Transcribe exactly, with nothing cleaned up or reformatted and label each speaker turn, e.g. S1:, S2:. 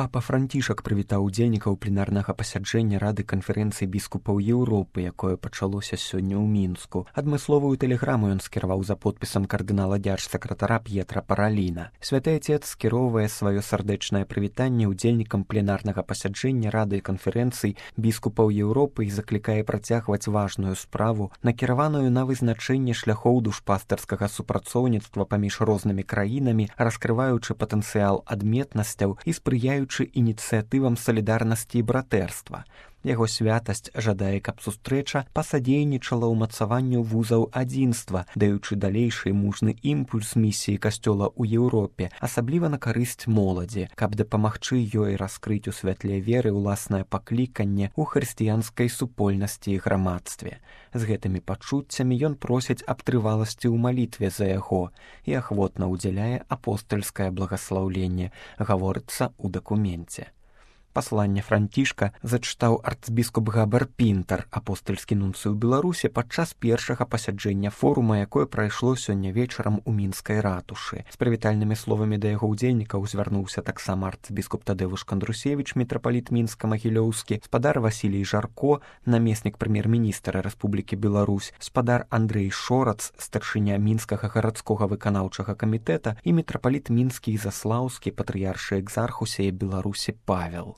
S1: Папа Францішак прывітаў удзельнікаў пленарнага пасяджэння Рады канферэнцыі біскупаў Еўропы, якое пачалося сёння ў Мінску. Адмысловую тэлеграму ён скіраваў за подпісам кардынала дзяржсакратара П'етра Параліна. Святы Отец скіроўвае сваё сардэчнае прывітанне удзельнікам пленарнага пасяджэння Рады канферэнцый біскупаў Еўропы і заклікае працягваць важную справу, накіраваную на вызначэнне шляхоў душпастарскага супрацоўніцтва паміж рознымі краінамі, раскрываючы патэнцыял адметнасцяў і спрыяючы ініцыятывам салідарнасці і братэрства. Яго святасць жадае, каб сустрэча пасадзейнічала ўмацаванню вузаў адзінства, даючы далейшы мужны імпульс місіі касцёла ў Еўропе, асабліва на карысць моладзі, каб дапамагчы ёй раскрыць у святле веры ўласнае пакліканне ў хрысціянскай супольнасці і грамадстве. З гэтымі пачуццямі ён просіць аб трываласці ў малітве за яго і ахвотна ўдзяляе апостальскае благаслаўленне, гаворыцца ў дакуменце. Пасланне Францішка зачытаў арцбіскуп Габар Пінтар, апостальскі нунцый у Беларусі, падчас першага пасяджэння форума, якое прайшло сёння вечарам у мінскай ратушы. З прывітальнымі словамі да яго ўдзельнікаў звярнуўся таксама арцбіскуп Тадеуш Кандрусевіч, мітрапаліт Мінска-Магілёўскі, спадар Васілій Жарко, намеснік прэм'ер-міністра Рэспублікі Беларусь, спадар Андрэй Шорац, старшыня мінскага гарадскога выканаўчага камітэта і мітрапаліт мінскі і заслаўскі, патрыяршы экзархусіі Беларусі Павел.